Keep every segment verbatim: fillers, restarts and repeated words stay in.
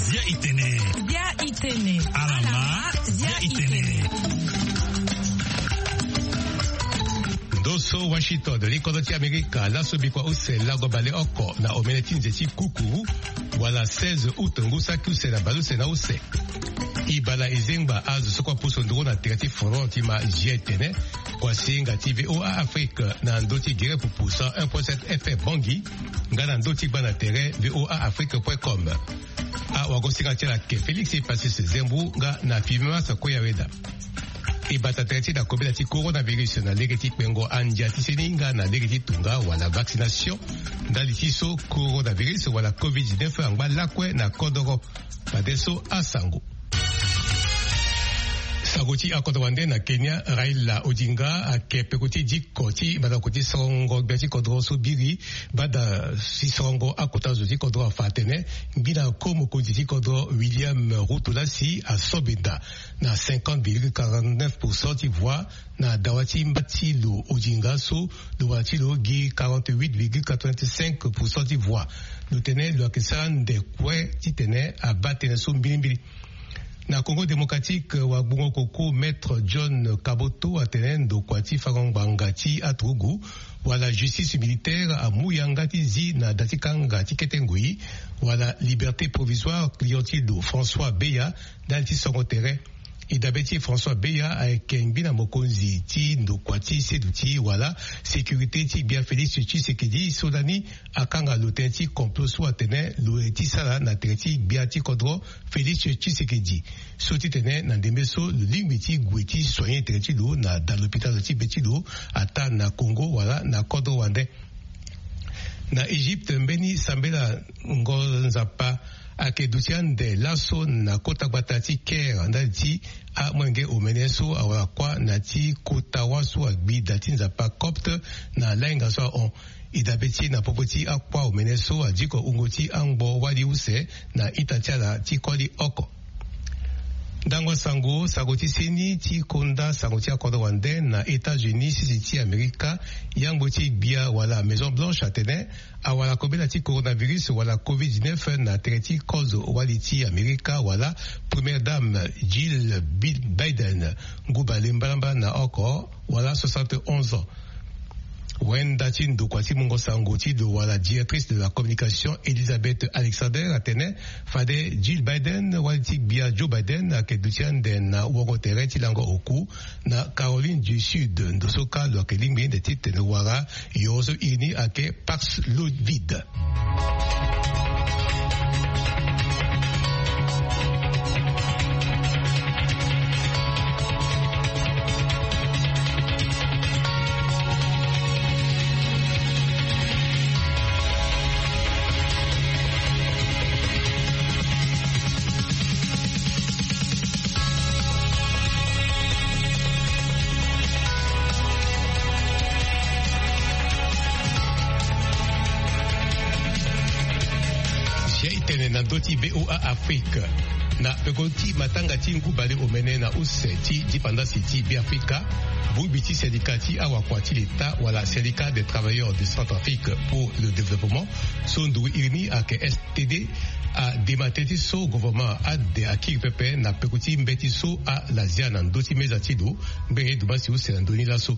Zia itene. Zia itene. Alama. Zia itene. Ndo so Washington, li kodro ti Amerika, laso bikua use lango baleoko na omene ti nze ti kukuru, wala seize août ngu saki use na baleuse na use. E bala e zengba azo so kue apusu nduru na tere ti forum ti ma Zia itene, kuasinga ti V O A Afrique na ndö ti gere pupu cent un point sept F M Bangui, nga na ndö ti gba na tere V O A Afrique point com. Awagosinga ti ala ayeke Félix Passus Zembu nga na Fibimas Koyaweda. E bata tere ti na kobela ti coronavirus na lege ti kpengo andia ti seni nga na lege ti tunga wala vaccination, ndali ti so coronavirus wala covid dix-neuf angba lakue na kodoro. Fadeso asango. Sango ti akodro wande na Kenya, Raila Odinga ayeke peko ti diko ti mandako ti sorongo gbia ti kodro so biri banda ti sorongo akota zo ti kodro afa atene ngbina ko mokonzi ti kodro William Ruto lasi aso benda na cinquante virgule quarante-neuf pour cent ti voix na dawa ti mba ti lo Odinga so lo wara ti lo gi quarante-huit virgule quatre-vingt-cinq pour cent ti voix. Lo tene lo yeke sara nde kue titene abaa tënë so mbilimbili. Na Congo Démocratique, wagbongo koko Maître John Kaboto atene ndokua ti fango ngbanga ti aturugu wala justice militaire amu yanga ti zi na da ti kanga ti kete ngoi wala liberté provisoire client ti lo François Beya ndali ti songo tere. E dabe ti François Beya ayeke ngbina mokonzi ti ndokua ti seduti wala sécurité ti gbia Félix Tshisekedi so lani akanga lo tënë ti complot so atene lo ye ti sara na tere ti gbia ti kodro Félix Tshisekedi. So titene na ndembe so lo lingbi ti gue ti soigner tere ti lo na da lopitalo ti be ti lo ataa na Congo wala na kodro wande. Na Egypte, mbeni sambela ngo nzapa ayeke duti ande laso na kota gbata ti Caire ndali ti amolenge omene so awara kuâ na ti kota wâ so agbi da ti nzapa copte na lahinga so ahon. E dabe ti e na popo ti akuâ omene so adiko wungo ti angbo wali use na ita ti ala ti koli oko. Ndango sango, sango ti seni ti konda sango ti akodro wande na États-Unis sese ti Amerika, yangbo ti gbia wala Maison Blanche atene awara kobela ti coronavirus wala covid dix-neuf na tere ti kozo wali ti Amerika wala Première Dame Jill Bi-, Biden, ngu bale mbalambala na oko wala soixante et onze ans. Wenda ti ndokua ti mungo sango ti lo wala directrice de la communication Elizabeth Alexander atene fade Jill Biden wali ti gbia Joe Biden ayeke duti ande na wongo tere ti lango oku na Caroline du Sud. Ndo so kâ lo yeke lingbi nde titene wara yoro so iri ni ayeke Paxlovid. Zia itene na ndö ti V O A Afrique. Na peko ti matanga ti ngu bale omene na use ti dipandasi ti Beafrika, bongbi ti syndicat ti awakua ti Leta wala Syndicat des travailleurs de Centrafrique pour le développement, so nduru iri ni ayeke S T D, adema tënë ti so gouvernement ade akiri pepe na peko ti mbeti so ala zia na ndö ti meza ti lo ngbenge ti dumbasi use na ndö ni laso.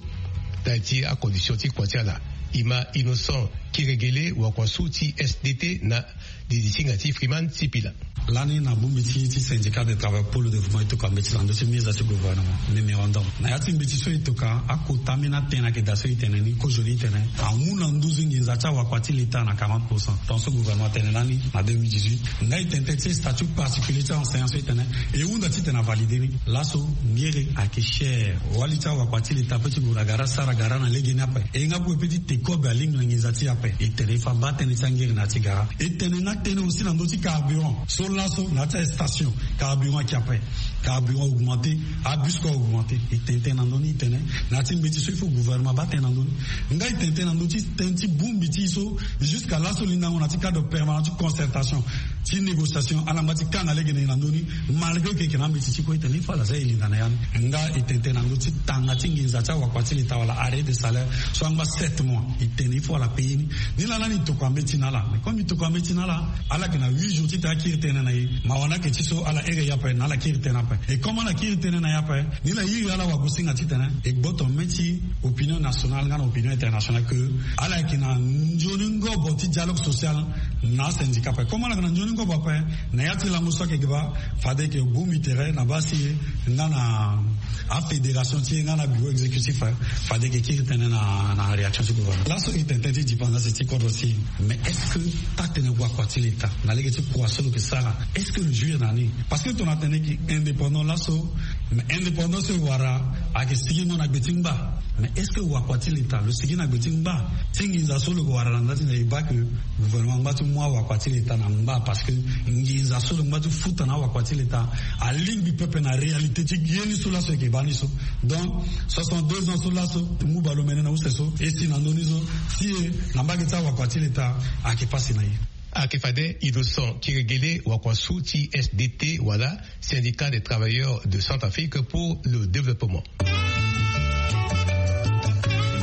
Ndali ti acondition ti kua ti ala, e ma Innocent Kiregele, wakua so ti S D T na didi ti hinga ti Freeman Sipila. Lani na bongbi ti, ti syndicat de travail pour le développement e toka mbeti na ndö ti meza ti gouvernement, mémorandum. Na ya ti mbeti so e toka, akota ambeni atënë ayeke daa so e tene ni, kozoni e tene amu na nduzu nginza ti awakua ti Leta na quarante pour cent. Tant so gouvernement atene lani na deux mille dix-huit. Nga e tene tënë ti statut particulier ti enseignant so e tene e hunda titene avalide ni. Laso ngere ayeke cher. Wali ti awakua ti Leta ape ti gue na gara sara gara na legeni ape. E nga kue pe ti te kobe alingbi na nginza ti e ape. E tene e fa baa tënë ti angere na ya ti gara. E tene nga tënë aussi na ndö ti carburant. So laso na ya ti astation, carburant ayeke ape. Carburant augmenté, abus kue augmenté. E tene tënë na ndö ni, e tene na ya ti mbeti so il faut gouvernement abaa tënë na ndö ni. Nga e tene tënë na ndö ti tënë ti bongbi ti e so, jusqu'à laso lindango na ya ti cadre permanent ti concertation. ti négociation, ala ngba ti kanga lege na e na ndö ni. Malgré que e yeke na ambeti ti kue, e tene il faut ala za e linda na ya ni. Nga e tene tënë na ndö ti tanga ti nginza ti awakua ti leta wala arrêt de salaire so angba sept mois, e tene il faut ala payer ni. Ni laa lani e tokua mbeti na ala. Mais comme e tokua mbeti na ala, ala yeke na huit jours ti tene akiri tënë na e. Mawa ni ayeke ti so ala here e ape na ala kiri tënë ape. Et comme ala kiri tënë na e ape, ni laa e iri ala wagosinga titene e gboto mbeti opinion nationale nga na opinion internationale que ala yeke na nzoni ngobo ti dialogue social na asyndicat ape. Comme ala yeke na nzoni ngobo ape, na ya ti lango so ayeke ge baa, fade e yeke bongbi tere na baa si e nga na afédération ti e nga na bureau exécutif, eh, fade e yeke kiri tënë na, na réaction ti gouvernement. Laso e tene tënë ti dépendance ti kodro si e. Mais est-ce que taa-tënë wakua ti leta na lege ti kua so lo yeke sara, est-ce que lo jouir na ni? Parce que tongana tene e yeke indépendant laso, mais indépendant so e wara ayeke sigingo na gbe ti ngba. Mais est-ce que wakua ti leta lo sigi na gbe ti ngba? Ti nginza so lo yeke wara na nda ti na e baa que gouvernement angba ti mu awakua ti leta na ngba, parce que nginza so lo ngba ti futa na awakua ti leta alingbi pepe na réalité ti ye ni so laso e yeke baa ni so. Donc soixante-deux ans so laso, ti mu baleomene na use so, e si na ndö ni so, si e na mbage ti awakua ti leta ayeke pasi na e. Ayeke fade Innocent Kiregele, wakua so ti S D T wala Syndicat des travailleurs de Centrafrique pour le développement. E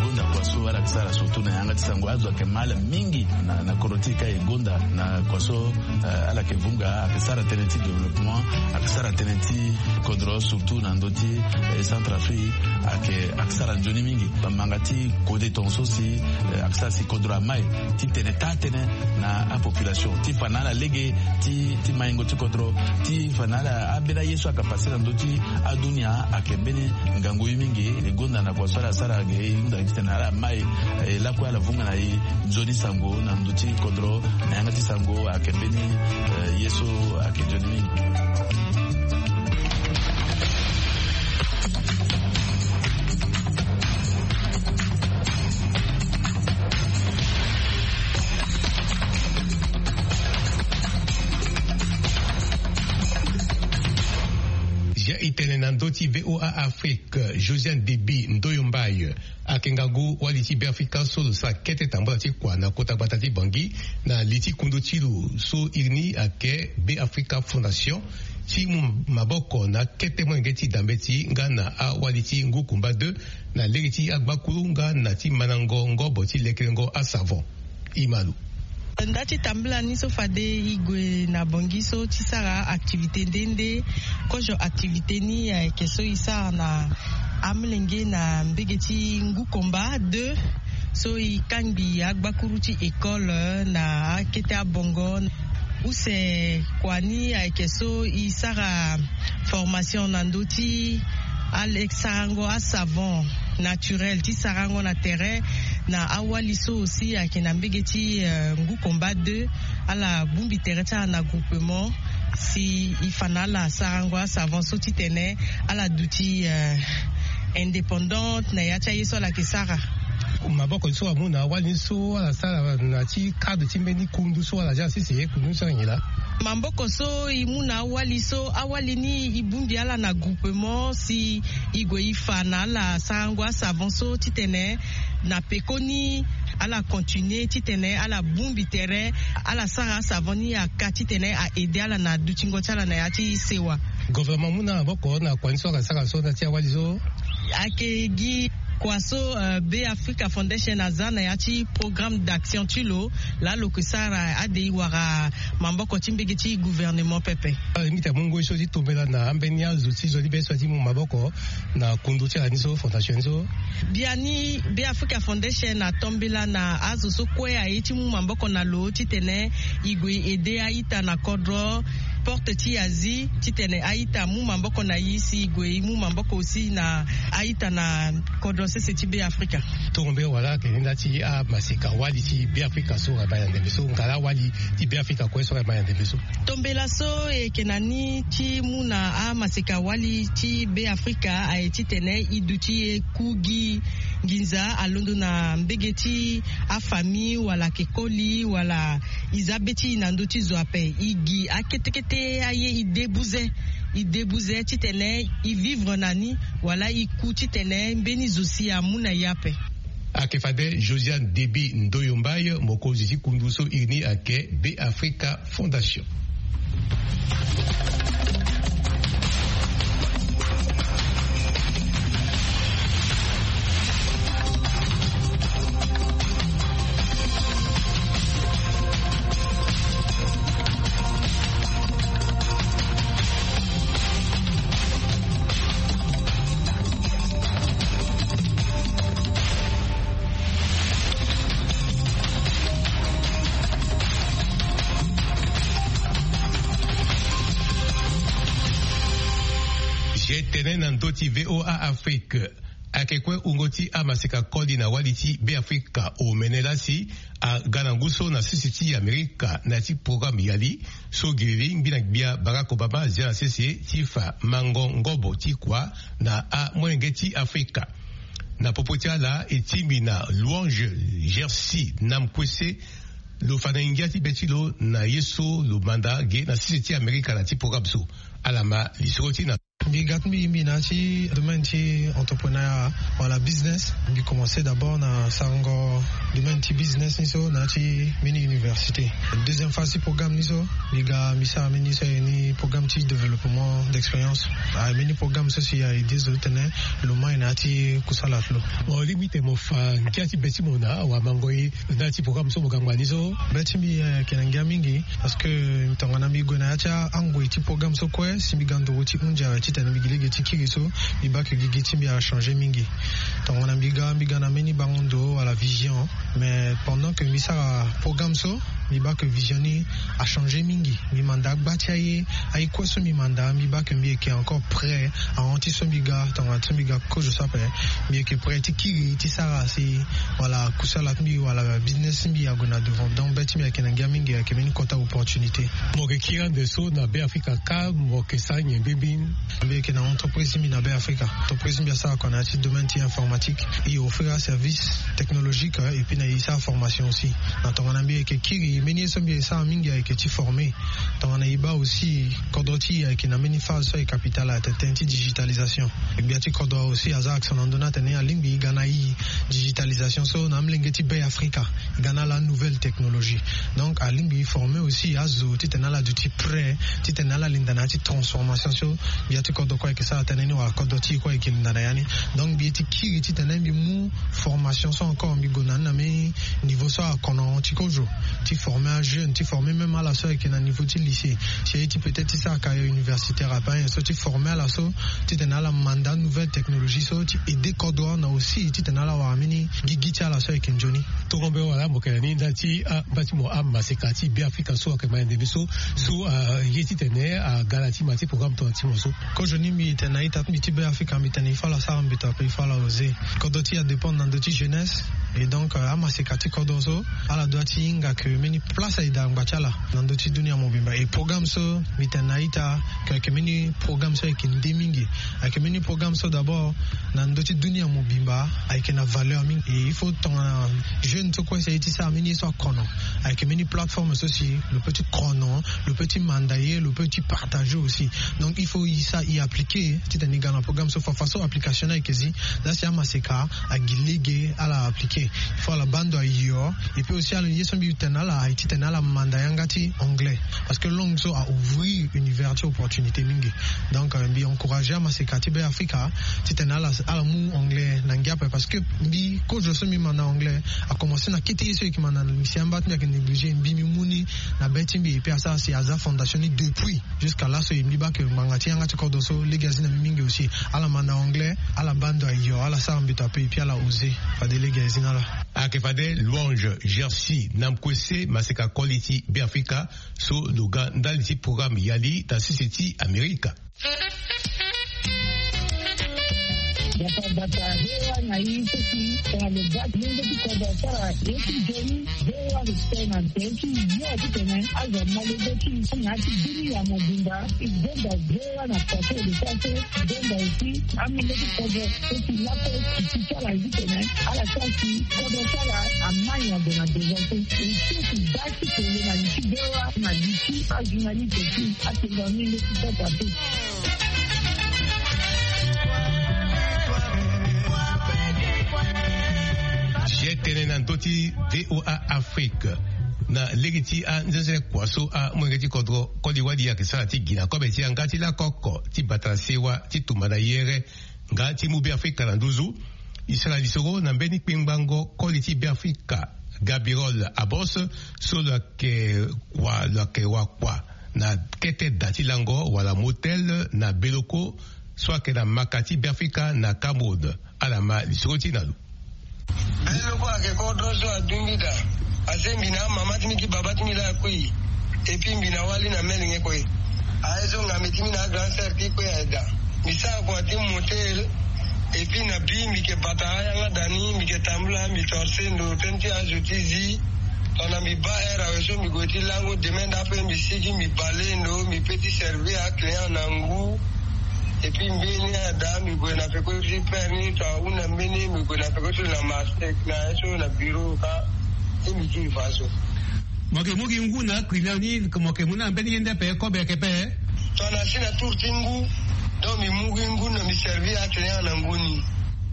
gonda kua so ala yeke sara surtout na yanga ti sango, azo ayeke mal mingi na, na kodro ti e ka e gonda na kua so, eh, ala yeke vunga, ayeke sara tënë ti développement, ayeke sara tënë ti kodro surtout na ndö ti, eh, Centrafrique, ayeke, ayeke sara nzoni mingi. Bamanga ti kode tongaso si, eh, ayeke sara si kodro amai ti tene taa-tënë na apopulation ti fa na ala lege ti, ti maingo ti kodro, ti fa na ala ambeni aye so ayeke pase na ndö ti adunia ayeke mbeni ngangu ye mingi. E gonda na kua so ala sara ge, e hunda gi titene ala mai, e lakue ala vunga na e nzoni sango na ndö ti kodro na yanga ti sango ayeke mbeni, eh, ye so ayeke nzoni mingi. Zia e tene na ndö ti V O A Afrique, Josiane Deby Ndoyo Mbaye ayeke ngangu wali ti Beafrika so lo sara kete tambula ti kua na kota gbata ti Bangui na li ti kundu ti lo so iri ni ayeke Beafrika Fondation, ti mu maboko na akete molenge ti dambeti nga na awali ti ngu kumba deux na lege ti agbakuru nga na ti mandango ngobo ti lekerengo asavon. Imalu. Nda ti tambula ni so fade e gue na Bangui so ti sara activité nde nde. Kozo activité ni ayeke so e sara na amolenge na mbege ti ngu komba deux, so e kangbi agbakuru ti école na akete abongo. Use kua ni ayeke so e sara formation na ndö ti ale sarango asavon naturel ti sarango na tere na awali so aussi ayeke na mbege ti, eh, ngu combat deux. Ala bongbi tere ti ala na groupement si e fa na ala sarango asavon so titene ala duti, eh, indépendante na ya ti aye so ala yeke sara. Maboko so amu na awali ni so ala sara na ti cadre ti mbeni kundu so ala zia sese, kundu ni so ala nyen laa? Maboko so e mu na awali so, awali ni e bongbi ala na groupement si e gue e fa na ala sarango asavon so titene na pekoni ala continuer titene ala bongbi tere, ala sara asavon ni aka titene a aider ala na dutingo ti ala na ya ti sewa. Gouvernement amu na maboko na kua ni so ala sara so na ti awali so? Ayeke gi kua so, euh, Beafrika Foundation aza na ya ti programme d'action ti lo laa lo yeke sara ade e wara maboko ti mbege ti gouvernement pepe. Ala limite amu ngoi so ti tombela na ambeni azo ti zo ti be so ti mu maboko na kundu ti ala ni so, fondation ni so. Biani Beafrika Foundation atombela na azo so kue aye ti mu maboko na lo titene e gue e aider a-ita na kodro, porte ti e azi titene a-ita amu maboko na e si e gue e mu maboko aussi na a-ita na kodro sese ti Beafrika. Tongombe wala ayeke ni nda ti amaseka wali ti Beafrika so ayeke baa na ndembe so, ngala wali ti Beafrika kue so ayeke baa na ndembe so? Tombela so e yeke na ni ti mu na amaseka wali ti Beafrika aye titene e duti e ku gi nginza alondo na mbege ti afamille wala ayeke koli wala e za be ti e na ndö ti zo ape, e gi akete kete aye, e de buze, e de buze titene e vivre na ni wala e ku titene mbeni zo si amu na e ape. Ayeke fade Josiane Deby Ndoyo Mbaye, mokonzi ti kundu so iri ni ayeke Beafrika Fondation. Zi tene na ndö ti VOA Afrique. Ayeke kue wungo ti amaseka koli na wali ti Beafrika omene lasi aga na ngu so na sese ti Amerika na ya ti programme yali so giriri ngbi na gbia Barack Obama azia na sese ti fa mango ngobo ti kua na amolenge ti Afrika. Na popo ti ala e tingbi na Louange Jersey Namkwese, lo fa na ngia ti be ti lo na ye so lo manda ge na sese ti Amerika na ya ti programme so. Ala ma lisoro ti na. Mbi ga ti mbi mbi na ya ti domaine ti entrepreneur wala business. Mbi commencé d'abord na sarango domaine ti business ni so na ya ti mbeni université. Deuxième phase ti programme ni so mbi ga mbi sara mbeni so aye ni programme ti développement d'expérience. Aye mbeni programme so si aye aidé zo ti tene lo mai na ya ti kusala ti lo. Mo lingbi tene mo fa ngia ti be ti mo na awamango ye na ya ti programme so mo ga ngba ni so? Be ti mbi ayeke na ngia mingi. Parce que tongana mbi gue na ya ti angoi ti programme so kue si mbi ga nduru ti hunzi awe titene mbi gi lege ti kiri so, mbi baa ke gigi ti mbi achangé mingi. Tongana mbi ga mbi ga na mbeni bango ndo wala vision. Mais pendant que mbi sara programme so, mbi baa ke vision ni achangé mingi. Mbi manda agba ti aye. Aye kue so mbi manda mbi baa ke mbi yeke encore prêt ahon ti so mbi ga tongana so mbi ga kozo so ape. Mbi yeke prêt ti kiri ti sara si wala kusala ti mbi wala business ti mbi ague na devant. Donc be ti mbi ayeke na ngia mingi, ayeke mbeni kota opportunité. Mo yeke kiri ande so na Beafrika ka mo yeke sara nyen mbeni? Mbi yeke na entreprise ti mbi na Beafrika. Entreprise ti mbi asara kua na ya ti domaine ti informatique. E offrir aservice technologique, euh, et puis na e sara formation aussi. Na tongana mbi yeke kiri mbeni ye so mbi yeke sara mingi ayeke ti former. Tongana e baa aussi kodro ti e ayeke na mbeni phase so ayeke capital atene ti digitalisation. Gbia ti kodro aussi aza accent na ndö ni atene alingbi e ga na e digitalisation so na amolenge ti Beafrika. E ga na ala nouvelle technologie. Donc alingbi e former aussi azo titene ala duti prêt titene ala linda na ya ti transformation so gbia ti kodro kue ayeke sara tënë ni wala kodro ti e kue ayeke linda na ya ni. Donc mbi ye ti kiri titene mbi mu formation so encore mbi gue na ni na mbeni niveau so akono ti kozo, ti former ajeune, ti former même ala so ayeke na niveau ti lycée, ti aye ti peut-être ti sara carrière universitaire ape, ayen so ti former ala so titene ala manda nouvelle technologie so ti aider kodro na aussi titene ala wara mbeni gigi ti ala so ayeke nzoni. Tongo mbe wala mo yeke na ni ndali ti amba ti mo amaseka ti Beafrika so ayeke ma yende mbi so, so aye titene aga na ti ma ti programme tongana ti mo so. Kozo ni mbi tene na ita ti mbi ti Beafrika mbi tene il faut ala sara mbeto ape, il faut ala oser. Kodro ti e adépendre na ndö ti jeunesse. Et donc euh, amaseka ti kodro so ala doit ti hinga ke mbeni place aye daa ngba ti ala na ndö ti dunia mobimba. Et programme so mbi tene na ita ke ayeke mbeni programme so ayeke nde mingi. Ayeke mbeni programme so d'abord na ndö ti dunia mobimba ayeke na valeur mingi. Et il faut tongana jeune so kue si aye ti sara mbeni ye so akono, ayeke mbeni plateforme so si lo peut ti kono, lo peut ti manda ye, lo peut ti partager aussi. Donc il faut e sa e appliquer titene e ga na programme so. Fafa so application ni ayeke zi, la si amaseka agi lege ala appliquer. Il faut ala baa ndo ayo. Et puis aussi ala ye so mbi tene na ala aye titene ala manda yanga ti anglais. Parce que langue so a ouvrir univers ti opportunité mingi. Donc euh, mbi encourager amaseka ti Beafrika titene ala ala mu anglais na ngia ape. Parce que mbi kozo so mbi manda anglais a commencé na kete ye so e yeke manda na lycée, amba ti mbi ayeke négliger, mbi mbi mu ni na be ti mbi. Et puis asara si aza fondation ni depuis jusqu'à laso. E mbi baa ke ngbanga ti yanga ti kodro so lege azi na mbi mingi aussi. Ala manda anglais, ala baa ndo ayo, ala sara mbeto ape, et puis ala oser. Fade lege azi na ala. Ayeke fade Louange Jersey Namkwese, maseka koli ti Beafrika so lo ga ndali ti programme yali na sese ti Amerika. Bata bata, hewa na i seki tongana lo ga ti lenge ti kodro asara ye ti nzoni. Hewa respect na nze ti yo titene azo ma lenge ti na ya ti dunia mobimba. I zonda hewa na façon de faire. Zonda aussi amolenge ti kodro so si lakue ti ti ti ala ye titene ala sara si kodro ti ala amai ague na devant. Aussi si baa ti tene na li ti hewa na li ti ajournaliste ti atenga mingi ti kota te. Zi tene na ndö ti VOA Afrique. Na lege ti anzenze kua so amolenge ti kodro koli wali ayeke sara ti gi na kobe ti yanga ti lako oko ti bata sewa ti tumba na yere nga ti mu Beafrika na nduzu. E sara lisoro na mbeni kpengbango koli ti Beafrika, Gabirol Abos, so lo yeke wa lo yeke wakua na kete da ti lango wala motel na Beloko so ayeke na maka ti Beafrika na Cameroun. Ala ma lisoro ti na lo. Beloko ayeke kodro so adungbi daa. Ase mbi na amama ti mbi ti baba ti mbi laa akui. Epui mbi na wali na melenge kue. Aye so ngambe ti mbi na agrand sœur ti kue aye daa. Mbi sara kua ti motel. Epui na bi mbi yeke bata ayanga daa ni, mbi yeke tambula, mbi torse ndo tënë ti azo ti zi. Tongana mbi baa heure awe so mbi gue ti lango demain nda ape mbi sigi mbi bale ndo mbi pe ti servir aclient na ngu. Epui mbeni ada mbi gue na peko ti père ni to ahunda mbeni mbi gue na peko ti lo na marché na ye so na bureau ka. Ti mbi kiri fa so. Mo yeke mu gi ngu na aclient ni, mo yeke mu na mbeni ye nde ape kobe ayeke pe? Tongana si na tour ti ngu. Donc mbi mu gi ngu na mbi servir aclient na ngu ni.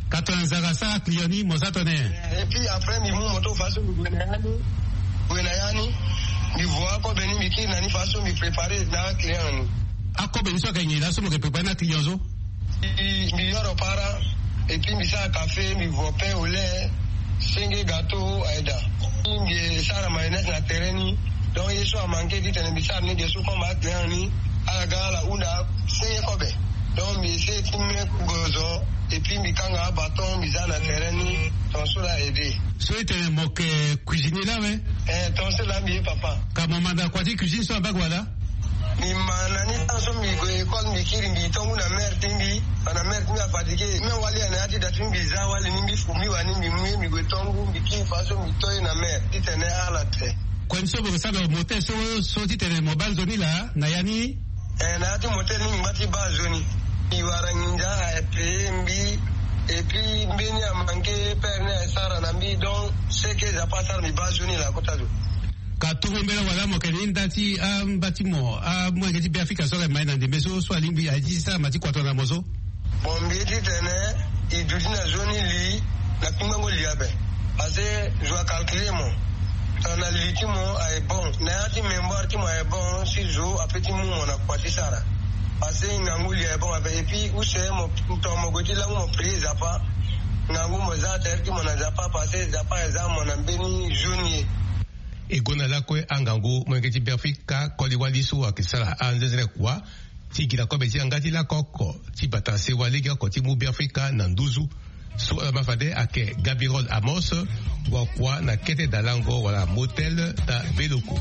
Ka tongana nzara asara aclient ni mo za tongana nyen? Epui après mbi mu moto fa so mbi gue na ya ni. Gue na ya ni. Mbi vo akobe ni mbi kiri na ni fa so mbi préparer na aclient ni. Akobe ni so ayeke nyen laa so mo yeke préparer na aclient so? Mbi yoro para. Epui mbi sara café mbi vo pain au lait. Senge gâteau aye daa. Mbi sara mayonnaise na tere ni. Donc ye so amanke titene mbi sara ni ge so comme aclient ni. Ala ga ala hunda senge kobe. Donc mbi essayer ti me gozo. Epui mbi kanga abaton mbi za na tere ni. Ton so laa aide. So itene mo yeke cuisinier laa awe? Eh ton so laa mbi ye papa. Ka mo ma na kua ti cuisine so na mbage wala? Mbi ma na ni tan so mbi gue école mbi kiri mbi to ngu na mère ti mbi. Bana mère ti mbi afatigue même wali ya na ya ti da ti mbi za wali ni mbi fu mbi wani mbi mu ye mbi gue to ngu mbi kiri fa so mbi to ye na mère titene ala te. Kue ni so mo yeke sara na motel so so titene mo baa nzoni laa na ya ni? Eh na ya ti motel ni mbi ngba ti baa nzoni. Mbi wara nginza aye payé mbi. Epui mbeni amanke père ni aye sara na mbi donc seke za pas asara mbi baa nzoni laa kota zo. Ka toro mbela wala mo yeke na hinda ti amba ti mo amolenge ti Beafrika so ayeke mai na ndembe so so alingbi aye ti sara ma ti kua tongana mo so? Bon mbi ye titene e duti na nzoni li na kpingbango li ape. Parce que zo acalculer mo. Tongana li ti mo aye bon na ya ti mémoire ti mo aye bon si zo ape ti mu mo na kua ti sara. Parce que ngangu li aye bon ape epui use mo tongana mo gue ti langu mo prier Nzapa. Ngangu mo za tere ti mo na Nzapa parce que Nzapa aye za mo na mbeni nzoni ye. E gonda lakue angangu molenge ti Beafrika koli wali so ayeke sara anzenzere kua ti gi na kobe ti yanga ti lako oko ti bata sewa lege oko ti mu Beafrika na nduzu. So ala ma fade ayeke Gabirol Amos, wakua na kete dalango wala motel na Beloko.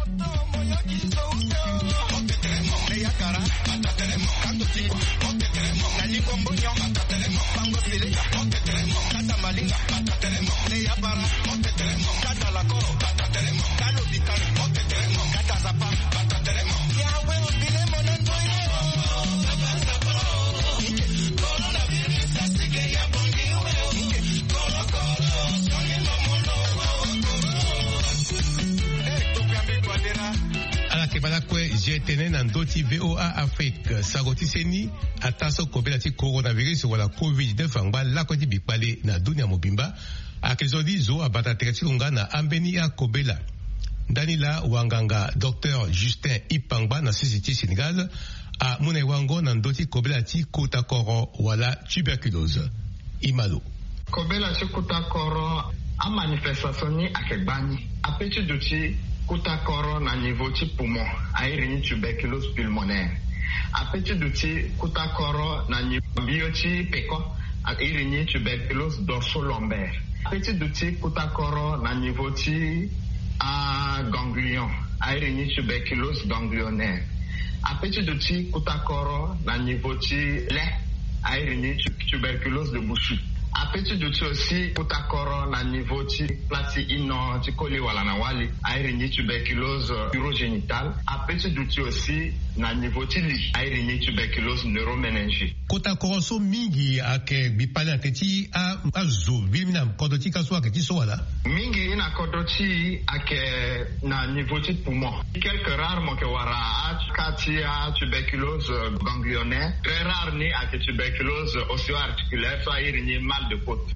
Ala yeke baa lakue je tene na ndö ti V O A Afrique, sango ti seni ataa so kobela ti coronavirus wala covid neuf angba lakue ti bikpale na dunia mobimba. Ayeke zo ni zo abata tere ti lo nga na ambeni akobela. Ndani laa wanganga docteur Justin Ipangba na sese ti Sénégal amu na e wango na ndö ti kobela ti kota koro wala tuberculose. E ma lo. Kobela ti kota koro, amanifestation ni ayeke gbani. Ape ti duti kota koro na niveau ti poumon, a iri ni tuberculose pulmonaire. Ape ti duti kota koro na niveau mbio ti peko, a iri ni tuberculose dorso-lombaire. Ape ti duti kota koro na niveau ti aganglion, a iri ni tuberculose ganglionnaire. Ape ti duti kota koro na niveau ti le, a iri ni tu- tuberculose de Buschke. Ape ti duti aussi kota koro na niveau ti pla ti ino ti koli wala na wali, a iri ni tuberculose urogénitale. Ape ti duti aussi na niveau ti li, a iri ni tuberculose neuroméningée. Kota koro so mingi ayeke gbi pale na teti a- azo vili mingi na kodro ti ka so ayeke ti so wala? Mingi na kodro ti e ayeke na niveau ti poumon. Quelques rares mo yeke wara aka ti atuberculose ganglionnaire. Très rare ni ayeke tuberculose ostéo-articulaire so a iri ni mal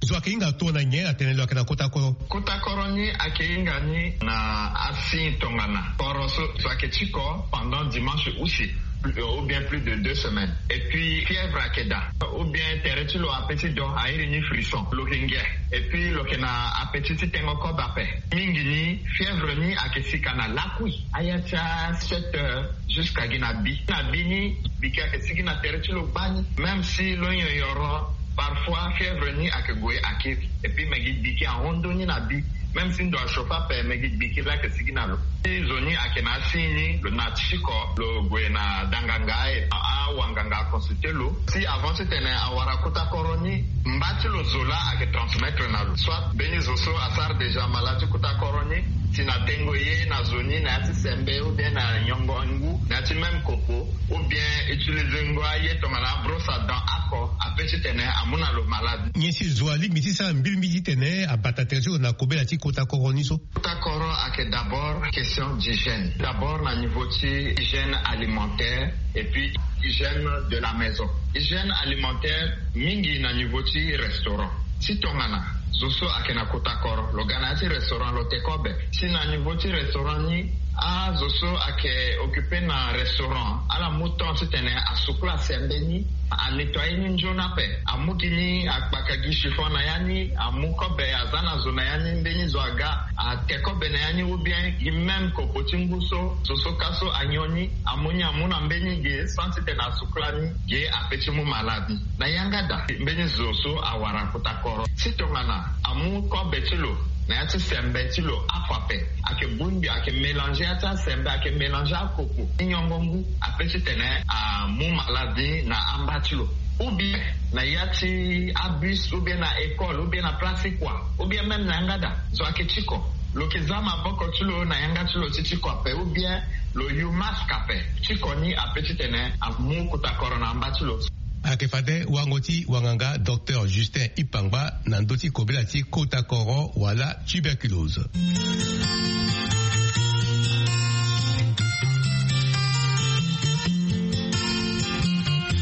Zo ayeke hinga tongana nyen atene lo ayeke na kota koro? Kota koro ni ayeke hinga ni na asigne tongana koro so, so ayeke ti ko pendant dimanche use, ou bien plus de deux semaines. Et puis fièvre ayeke daa, ou bien tere ti lo ape ti do airi ni frisson, lo yeke ngia. Et puis lo yeke na appétit ti tengo kobe ape. Mingi ni fièvre ni ayeke sika na lakui, aya ti a sept heures jusqu'à gi na bi. Na bi ni, biki ayeke sigi na tere ti lo gbani. Même si lo nyonyoro, parfois fièvre ni ayeke gue akiri. Et puis me gi biki ahon ndoni na bi. Même si ndo achauffe ape, me gi biki laa ayeke sigi na lo. Si zo ni ayeke na asigne ni, lo na ti ko, lo gue na danganga, e awanganga aconsulté lo. Si avant titene awara kota koro ni, mba ti lo zo laa ayeke transmettre na lo. Soit mbeni zo so asara déjà malade ti kota koro ni, si na tengo ye na zo ni na ya ti sembe, ou bien na nyongo ngu na ya ti même kopo, ou bien utiliser ngo aye tongana abrosse à dents oko, ape titene amu na lo malade. Nyen si zo alingbi ti sara mbilimbili titene abata tere ti lo na kobela ti kota koro ni so? Kota koro ayeke d'abord question d'hygiène. D'abord na niveau ti hygiène alimentaire et puis hygiène de la maison. Hygiène alimentaire mingi na niveau ti restaurant. Si tongana zo so ayeke na kota koro, lo ga na ya ti restaurant, lo te kobe. Si na niveau ti restaurant ni, azo so ayeke occupé na restaurant, ala mu temps titene asukula sembe ni, anettoyer ni nzoni ape, amu gi ni, akpaka gi chiffon na ya ni, amu kobe, aza na zo na ya ni, mbeni zo aga, ate kobe na ya ni, ou bien gi même kopo ti ngu so zo so ka so anyon ni, amu ni, amu na mbeni ge sans titene asukula ni, ge ape ti mu malade ni. Na yanga daa, mbeni zo so awara kota koro, si tongana amu kobe ti lo na ya ti sembe ti lo, afo ape, ayeke bongbi, ayeke mélanger ya ti asembe, ayeke mélanger akopo ti nyongo ngu, ape titene amu malade ni na amba ti lo. Ou bien na ya ti abus, ou bien na école, ou bien na place ti kua, ou bien même na yanga daa, zo ayeke ti ko, lo yeke za maboko ti lo na yanga ti lo ti ti ko ape, ou bien lo yu masque ape. Ti ko ni ape titene amu kota koro na amba ti lo. Ayeke fade wango ti wanganga Docteur Justin Ipangba na ndö ti kobela ti kota koro wala tuberculose.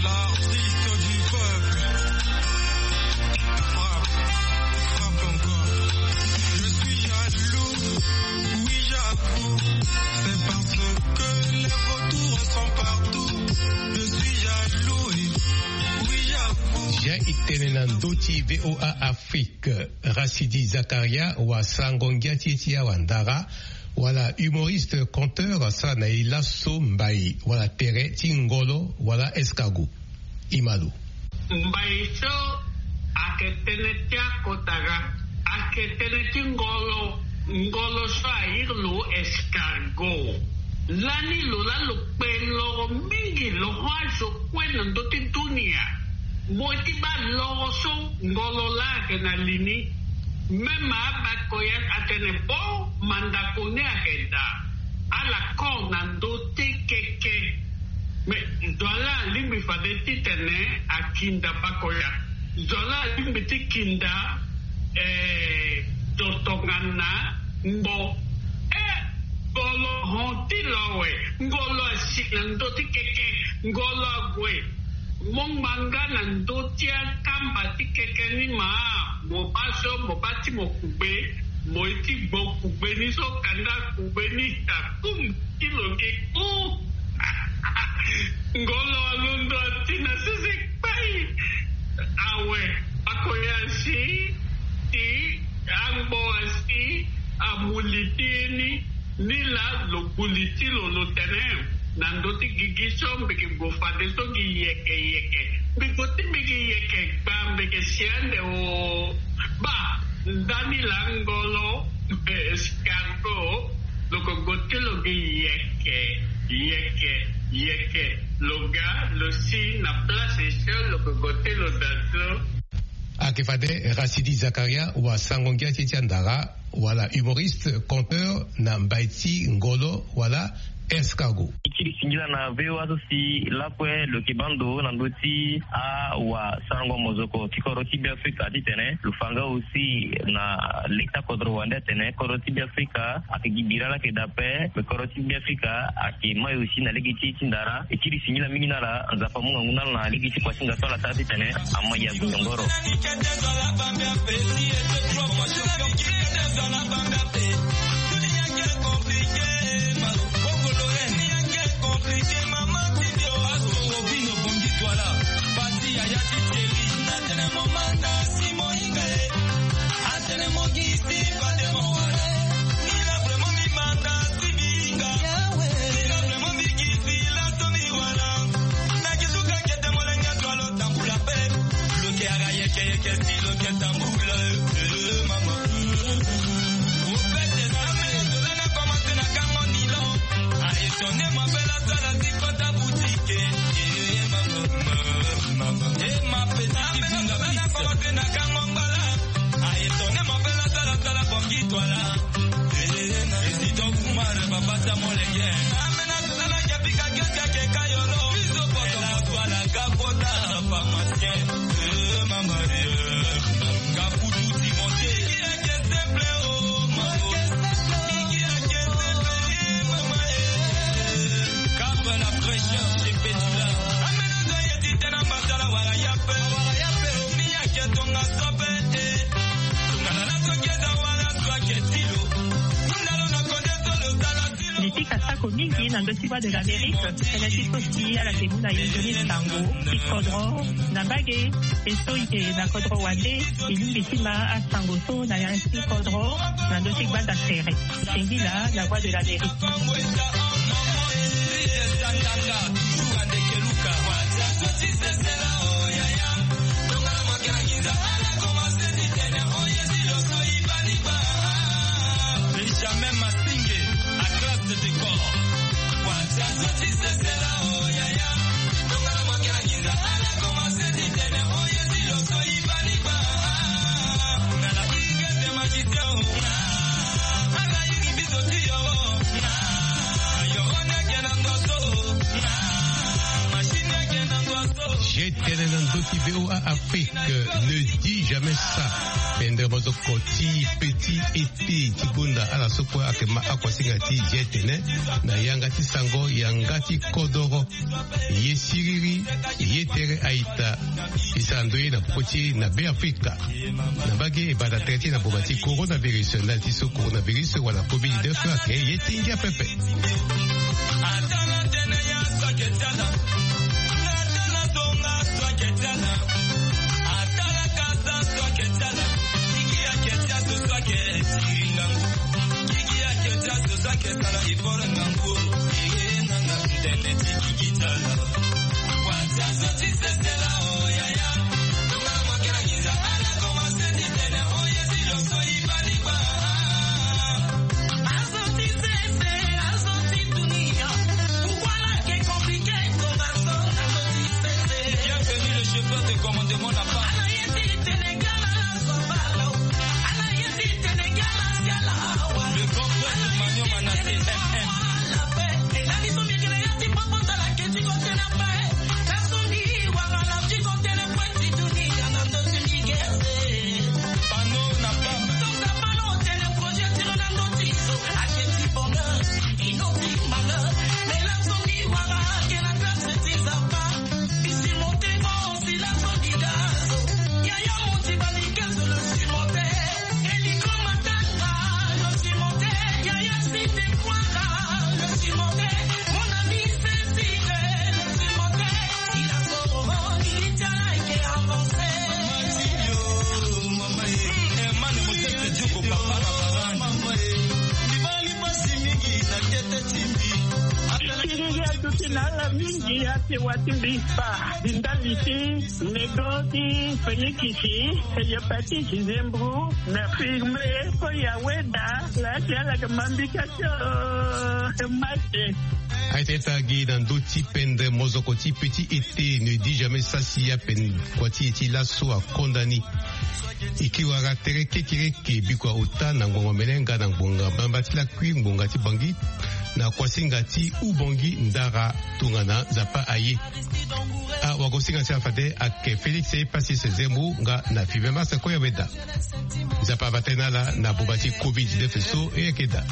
L'artiste du peuple frappe, frappe encore. Je suis jaloux, oui, jaloux. C'est parce que les vautours sont partout. Je suis jaloux, oui, jaloux. Jean Itene na ndö ti V O A Afrique. Rachidi Zakaria wa sango ngia ti e ti awa ndara, wala humoriste, conteur, asara na e laso mbai wala tere ti ngolo wala escargot. Imalo. Mbai so ayeke tënë ti akota ga, ayeke tënë ti ngolo. Ngolo so airi lo escargot. Lani lo laa lo kpe loro mingi, lo hon azo kue na ndö ti dunia. Mo ye ti baa loro so ngolo laa ayeke na li ni. Même abako ya atene bo mandako ni ayeke daa. Ala kor na ndö ti keke. Mais zo laa alingbi fade titene akinda bako ya. Zo laa alingbi ti kinda, eh, zo tongana ngbo. Eh, ngolo hon ti lo awe. Ngolo asi na ndö ti keke. Ngolo ague. Mo ngbanga na ndö ti akamba ti keke ni ma. Mo baa so, mo baa ti mo kugbe. Mo ye ti gbo kugbe ni so, kanda kugbe ni akum ti lo gi ku. Ngolo alondo ati na sese kpai. Awe, bako ya asi ti angbo asi amu li ti e ni. Ni laa lo gu li ti lo, lo tene na ndö ti gigi so mbi yeke gue fadeso gi yeke yeke. Mbi gue ti mbi gi yeke gba, mbi yeke si ande o. Baa, ndani laa ngolo, eh, escargot, lo yeke gue ti lo gi yeke yeke yeke. Lo ga, lo si na place so, lo yeke gue ti lo daa so. Ayeke fade Rachidi Zakaria wa sango ngia ti e ti andara, wala humoriste, conteur na mbai ti ngolo wala Escargot. E kiri singila na V O A so si lakue lo yeke baa ndo na ndö ti awasarango mozoko ti kodro ti Beafrika titene lo fa nga aussi na leta kodro wande atene kodro ti Beafrika ayeke gi bira laa ayeke daa ape, me kodro ti Beafrika ayeke mai aussi na lege ti e ti ndara. E kiri singila mingi na ala, Nzapa amu ngangu na ala na lege ti kua ti nda so ala sara titene amai ya gongoro. Ni ti kasako mingi na ndö ti Voix de l'Amérique, tënë ti so si ala yeke mu na yonzoni sango ti kodro na mbage. E so e yeke na kodro wande, e lingbi ti ma asango so na ya ti kodro na ndö ti gbanda sere. Singila na Voix de l'Amérique. Benjamin Masinge, à classe de décor. J'ai tene na ndö ti V O A Afrique, ne dis jamais ça. Pendre mozoko ti petit été ti gonda ala so kue ayeke ma akuasinga ti j'ai tene na yanga ti sango yanga ti kodoro. Ye siriri, ye tere aita. E sara ndoye na popo ti e na Beafrika. Na mbage e bata tere ti e na boma ti coronavirus, ndali ti so coronavirus wala covid dix-neuf ayeke ye ti ngia pepe. Bienvenue, le chauffeur de commandement n'a pas. Le grand frère de Magnon Manassé, M M. Panneau na P A M. Siriri aduti na ala mingi ate wati mbi fa. Di ndali ti nego ti fenikisi, hepatite, nzembro, na firme, ko ya weda, la ti ala ke mambika tio, mate. Aye tene taa gi na ndö ti pendre mozoko ti petit été, ne dis jamais ça si ape kua ti e ti laso akonda ni. E kiri wara tere kekereke bikua ota na ngbonga mene nga na ngbonga mbamba ti lakui ngbonga ti Bangi. na kuasinga ti Ubongi Ndara tongana Nzapa aye. Awagosinga ti afade ake Félix Epassis Zemou nga na Fibe Masa Koya Weda. Nzapa ava tene ala na buba ti covid dix-neuf so e yeke daa.